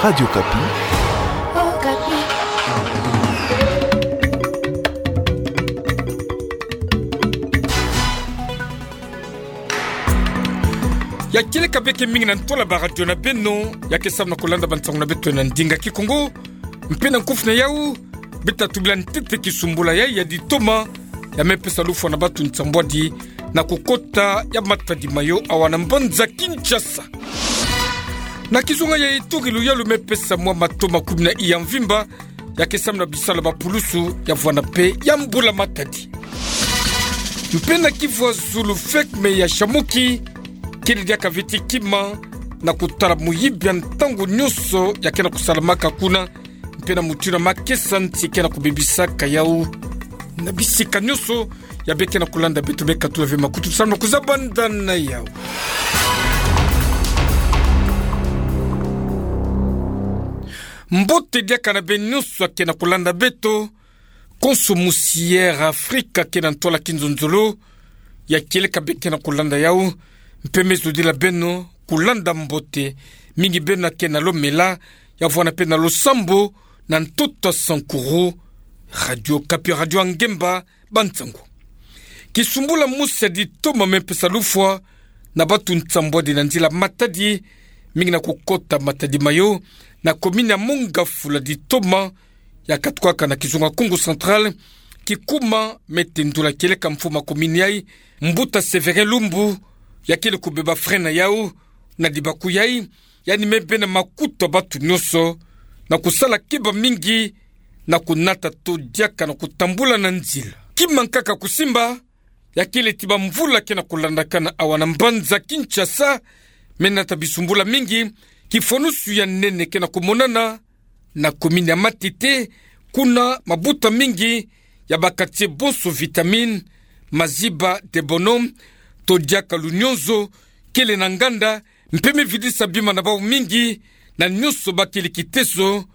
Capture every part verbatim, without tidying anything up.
Radio Okapi. Okapi. Ya kieleka beke mingi na ntwala baradio na beno, ya ke samu na kulanda bansangu na beto na ndinga Kikongo, mpe na nkufi na yau, beta tubila ntete kisumbula ya, ya ditoma, ya mepesa lufwa na batu nsambwadi, na kukota ya matadi mayo awa na mbanza Kinshasa. Na kizunga ya ituri, luyalu mepesa mwa matoma kumi na iya mvimba, ya ke samu na bisalu ya bapulusu, ya vwanda mpe ya mbula matadi. Mpe na kivwa zulu, fekme ya Shamoki, kele diaka ve ti kima, na kutala moyibi ya ntangu nyonso ya ke na kusalamaka kuna, mpe na mutindu ya makesa nti ke na kubebisaka yau. Na bisika nyonso, ya beke na kulanda beto, mekatula ve makutu samu na kuzabanda na yau. Mbote diaka na beno nyonso ya ke na kulanda beto, konso musi Air Afrika ke na ntwala kinzonzolo, ya kieleka beke na kulanda yau, mpe me zodila beno kulanda mbote, mingi beno ya ke na lomela, ya vwanda mpe na losambo, na ntoto ya Sankuru, Radio Okapi, radio ya ngemba, bansangu. Kisumbula mosi ya ditoma mepesa lufwa na batu nsambwadi na nzila matadi, mingi na kukota matadi mayo, na komini ya Mont-Ngafula ditoma, ya katukaka na kizunga Kongo Central, kikuma me tendula kieleka mfumu ya komini yai, Mbuta Sévérin Lumbu, ya kele kubeba frein na yau, na dibaku yai, yandi me bena makutu ya batu nyonso, na kusala keba mingi, na kunata to diaka na kutambula na nzila. Kima nkaka kusimba, ya kele ti bamvula ke na kulandakana awa na mbanza Kinshasa, me nata bisumbula mingi, kifwanusu ya nene ke na kumonana, na komini ya Matete, kuna mabuta mingi ya ba quartier bonso Vitamine, Maziba, Debono, to diaka Lunyonzo, kele na nganda, mpe me vidisa bima na bau mingi, na nyonso ba kele kiteso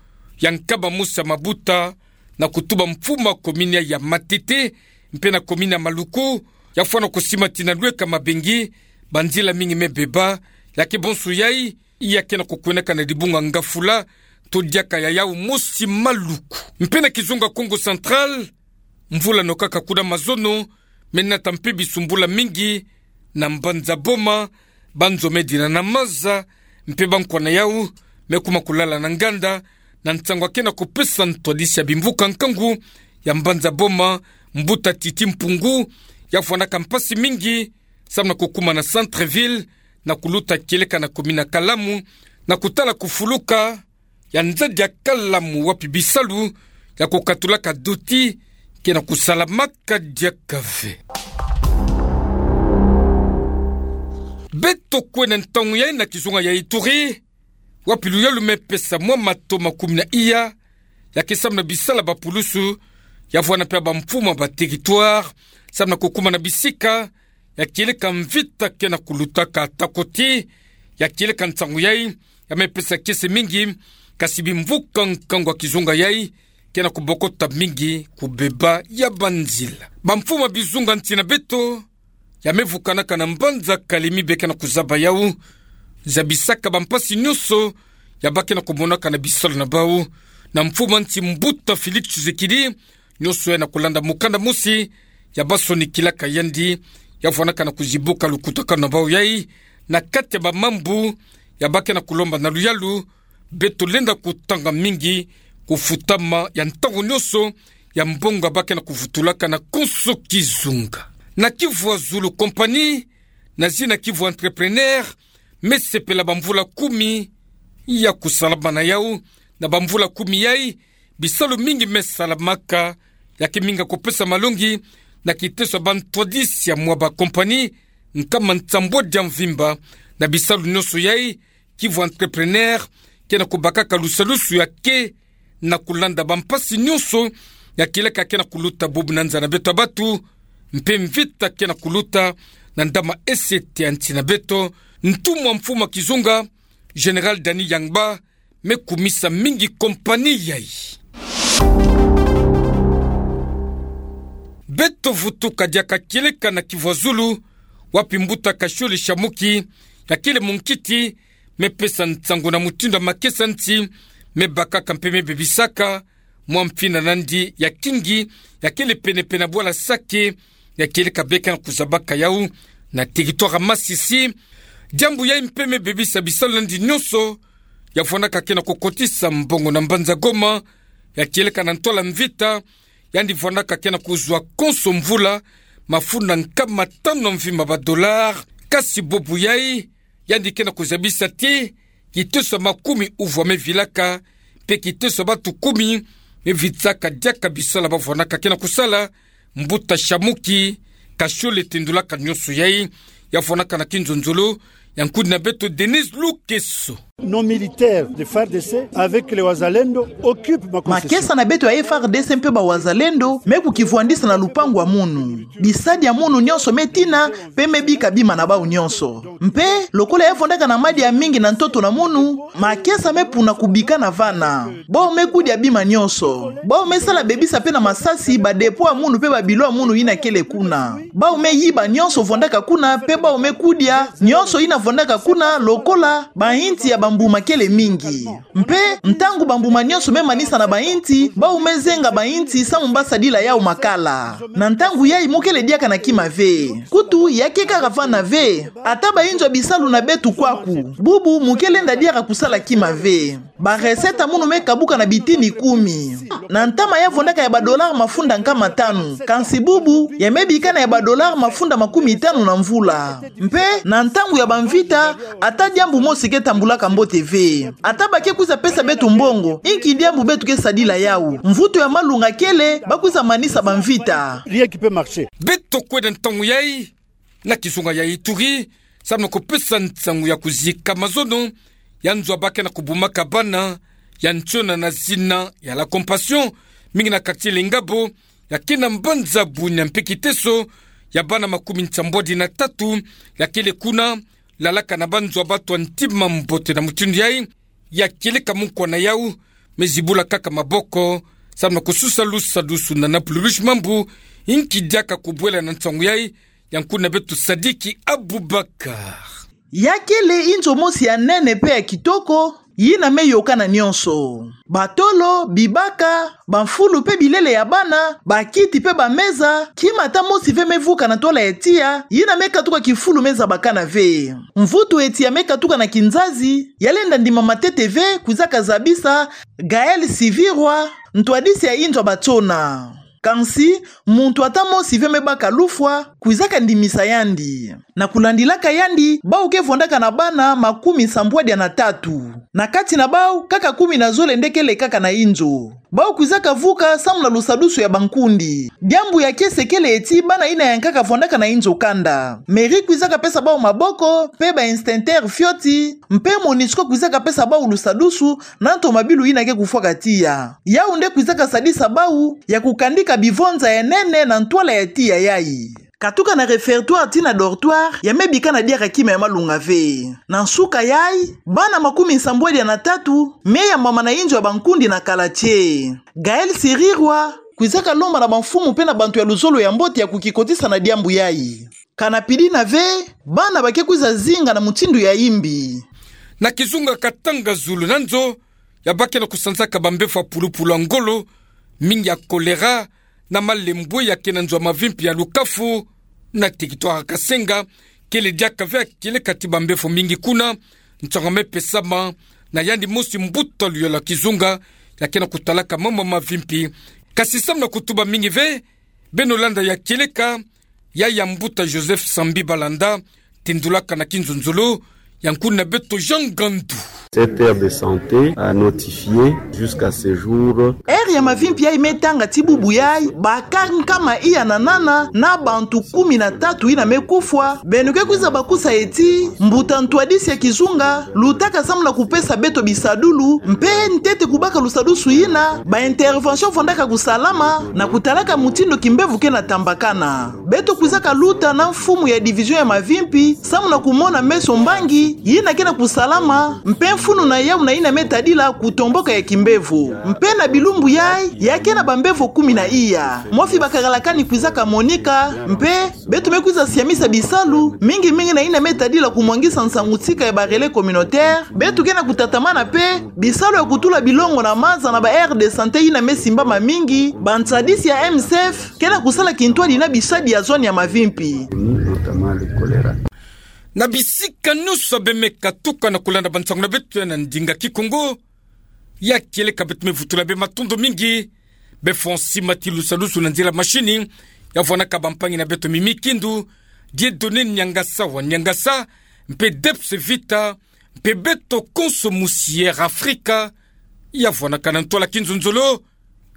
ya nkaba mosi ya mabuta, na kutuba mfumu ya komini ya Matete, mpe na komini ya Maluku, ya fwana kusimatina lweka mabengi, banzila mingi me beba, ya ke bonso yai, ya ke na kukwenaka na dibunga Ngafula, to diaka ya yau mosi Maluku. Mpe na kizunga Kongo Central, mvula nokaka kuna mazono, me nata mpe bisumbula mingi, na mbanza Boma, banzo me dina na maza, mpe bankwa na yau, me kuma kulala na nganda, na nsangu ya ke na kupesa ntwadisi ya bimvuka nkangu, ya mbanza Boma, Mbuta Titi Mpungu, ya fwanaka mpasi mingi, samu na kukuma na centre-ville, na kuluta kieleka na komini ya Kalamu, na kutala kufuluka ya nzadi ya Kalamu wapi bisalu ya kukatulaka doti ke na kusalamaka diaka ve. Beto kwe na ntangu yai na kizunga ya Ituri, wapi luyalu mepesa mwa matoma kumi na iya, ya ke samu na bisalu ya bapulusu, ya vwanda mpe ya bamfumu ya ba territoire, samu na kukuma na bisika ya kieleka mvita ke na kulutaka, ata koti ya kieleka nsangu yai, ya mepesa kiese mingi, kasi bimvuka nkangu ya kizunga yai ke na kubokota mingi kubeba ya banzila. Bamfumu ya bizunga nsi na beto, ya me vukanaka na mbanza Kalemi be ke na kuzaba yau, zabisaka bampasi nyonso ya ba ke na kumonaka na bisalu na bau, na mfumu ya nsi Mbuta Félix Tshisekedi, nyonso yai na kulanda mukanda mosi ya ba sonikilaka yandi, ya fwanaka na kuzibuka lukutakanu na bau yai, na kati ya bamambu ya ba ke na kulomba na luyalu, beto lenda kutanga mingi kufutama ya ntangu nyonso ya mbongo ya ba ke na kuvutulaka na konso kizunga. Na Kivu ya zulu, kompani na zina Kivu Entrepreneur me sepela bamvula kumi ya kusalama na yau. Na bamvula kumi yai, bisalu mingi me salamaka, ya ke mingi ya kupesa malongi na kiteso ya bantwadisi ya mwa bakompani nkama nsambwadi ya mvimba. Na bisalu nyonso yai, Kivu Entrepreneur ke na kubakaka lusalusu ya ke na kulanda bampasi nyonso ya kieleka ke na kuluta bubu na nza na beto ya batu, mpe mvita ke na kuluta na ndama esete ya nsi na beto. Ntumwa mfumu ya kizunga, Général Dany Yangba, me kumisa mingi kompani yai. Beto vutuka diaka kieleka na Kivu ya zulu, wapi Mbuta Kashiole Shamuki, ya kele munkiti me pesa nsango na mutindu ya makesa nti me bakaka mpe me bebisaka mwa mfina nandi ya kingi, ya kele pene-pene na bwala Sake, ya kieleka beka na kuzabaka yawu na territoire ya Masisi. Diambu yayi mpe me bebisa bisalu nandi nyonso ya fwanaka ke na kukotisa mbongo na mbanza Goma, ya kieleka na ntwala mvita, yandi fwanaka ke na kuzwa konso mvula mafunda nkama tanu na mvimba ba dollars. Kasi bubu yayi, yandi ke na kuzabisa ti kiteso ya makumi uvwa me vilaka, mpe kiteso ya bantu kumi me vitsaka diaka bisalu ba fwanaka ke na kusala. Mbuta Shamuki Kashole tendulaka nyonso yayi, ya fwanaka na kinzonzolo ya nkudi na beto Denise Lukeso. Nos militaires de F A R D C avec les Wazalendo occupent ma concession. Makesa na beto ya F A R D C mpe ba Wazalendo me kukivwandisa na lupangu ya munu. Bisadi ya munu nyonso me tina, mpe me bika bima na bawu nyonso. Mpe, lokola ya fondaka na madia mingi na ntoto na munu, makesa me puna kubikana vana. Bawu me kudia bima nyonso. Bawu me sala bebisa mpe na masasi ba dépôt ya munu mpe ba bilo ya munu yina kele kuna. Bawu me yiba nyonso fondaka kuna, mpe bawu me kudia nyonso yina fondaka kuna, lokola bainti ya bambuma kele mingi. Mpe, ntangu bambuma nyonso me manisa na bainti, bawu me zenga bainti samu ba sadila yawu makala. Na ntangu yayi mu kele diaka na kima ve. Kutu, ya ke kaka vana ve. Ata bainzo ya bisalu na beto kwaku, bubu mu ke lenda diaka kusala kima ve. Ba recette ya munu me kabuka na bitini kumi. Na ntama ya fondaka ya ba dollars mafunda nkama tanu. Kansi bubu, ya me bikana ya ba dollars mafunda makumi tanu na mvula. Mpe, na ntangu ya bamvita, ata diambu mosi ke tambulaka mbote ve. Ata ba ke kwiza pesa beto mbongo, inki diambu beto ke sadila yawu? Mvutu ya malunga kele, ba kwiza manisa bamvita. Rien qui peut marcher. Beto kwenda ntangu yayi na kizunga ya Ituri, samu na kupesa nsangu ya kuzika mazono ya nzo ya ba ke na kubumaka bana ya ntiona na zina ya La Compassion, mingi na quartier Lengabo, ya ke na mbanza Bunia, mpe kiteso ya bana makumi nsambwadi na tatu ya kele kuna, lalaka na banzo ya bato ya ntima mbote na mutindu yayi, ya kieleka mukwa na yawu me zibula kaka maboko, samu na kususa lusadusu na Napululushi Mambu, inki diaka kubwela na nsangu yayi, ya nkudi na beto Sadiki Abubakar. Ya kele inzo mosi ya nene mpe ya kitoko, yina me yokana nyonso. Batolo, bibaka, bamfulu mpe bilele ya bana, bakiti mpe bameza, kima ata mosi ve me vuka na ntwala ya tiya, yina me katuka kifulu me zabakana ve. Mvutu ya tiya me katuka na kinzazi, ya lenda ndima matete ve, kwizaka zabisa Gaël Sivirwa, ntwadisi ya inzo ya batsona. Kansi, muntu ata mosi ve me baka lufwa, kwizaka ndimisa yandi. Na kulandilaka yandi, bawu ke fondaka na bana makumi nsambwadi na tatu. Na kati na bawu, kaka kumi na zole nde kele kaka na inzo. Bawu kwizaka vuka samu na lusadusu ya bankundi. Diambu ya kiese kele ti bana yina yankaka fondaka na inzo kanda. Mairie kwizaka pesa bawu maboko, mpe ba extincteurs fioti, mpe Monusco kwizaka pesa bawu lusadusu, na ntomabilu yina ke kufwaka tiya. Yawu nde kwizaka sadisa bawu ya kukandika bivonza ya nene na ntwala ya tiya yayi. Katuka na réfectoire tii na dortoir, ya me bikana diaka kima ya malunga ve. Na nsuka yayi, bana makumi nsambwadi na tatu me yambama na inzo ya bankundi na Kalatie. Gaël Sirirwa kwizaka lomba na bamfumu mpe na bantu ya luzolo ya mbote ya kukikotisa na diambu yayi. Kana pidina ve, bana ba ke kwiza zinga na mutindu ya yimbi. Na kizunga Katanga, zulu na nzo ya ba ke na kusanzaka bambevo ya pulupulu ya ngolo, mingi ya choléra, na malembwe ya ke na nzo ya mavimpi ya Lukafu, na territoire ya Kasenga, kele diaka ve ya kieleka ti bambevo mingi kuna, nsangu me pesama na yandi mosi mbuta luyolo ya kizunga ya ke na kutalaka mambu ya mavimpi. Kasi samu na kutuba mingi ve, beno landa ya kieleka, ya ya mbuta Joseph Sambi Balanda, tindulaka na kinzonzolo ya nkuni na beto Jean Gandu. Cette aire de santé a notifié jusqu'à ce jour. Aire ya mavimpi yayi me tanga ti bubu yayi, ba cas nkama iya na nana, na bantu kumi na tatu yina me kufwa. Beno ke kwiza bakusa ye ti, mbuta ntwadisi ya kizunga lutaka samu na kupesa beto bisadulu, mpe ntete kubaka lusadusu yina, ba intervention fondaka kusalama, na kutalaka mutindu kimbevo ke na tambakana. E tukwizaka luta na mfumu ya division ya mavimpi samu na kumona meso mbangi yina ke na kusalama mpe mfunu na yau na yina me tadila kutomboka ya kimbevo. Mpe na bilumbu yai, ya ke na bambevo kumi na iya, mwafi bakakala kani kwizaka monika, mpe beto me kwiza siamisa bisalu mingi mingi na yina me tadila kumwangisa nsangu-nsika ya ba relais communautaire. Beto ke na kutatamana mpe bisalu ya kutula bilongo na maza na ba aires de santé yina me simbama mingi. Bansadisi ya M S F ke na kusala kintwadi na bisadi ya zone ya mavimpi. Na bisika nyonso bemeka tuka na kulanda bansangu na beto ya na ndinga Kikongo, ya kieleka beto me vutula bê matondo mingi bê Fonsi Matilusalusu na nzila mashini, ya vwanaka bampangi na beto Mimi Kindu, Dieudonné Niangasa wa Niangasa, mpe Debs Vita, mpe beto konso musi Air Afrika, ya vwanaka na ntwala kinzonzolo.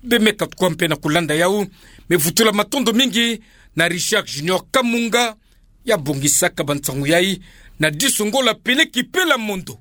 Bemeka tuka mpe na kulanda yau, me vutula matondo mingi na Richard Junior Kamunga, ya bongisaka bansangu yai, na diso Ngola pene kipela mondo.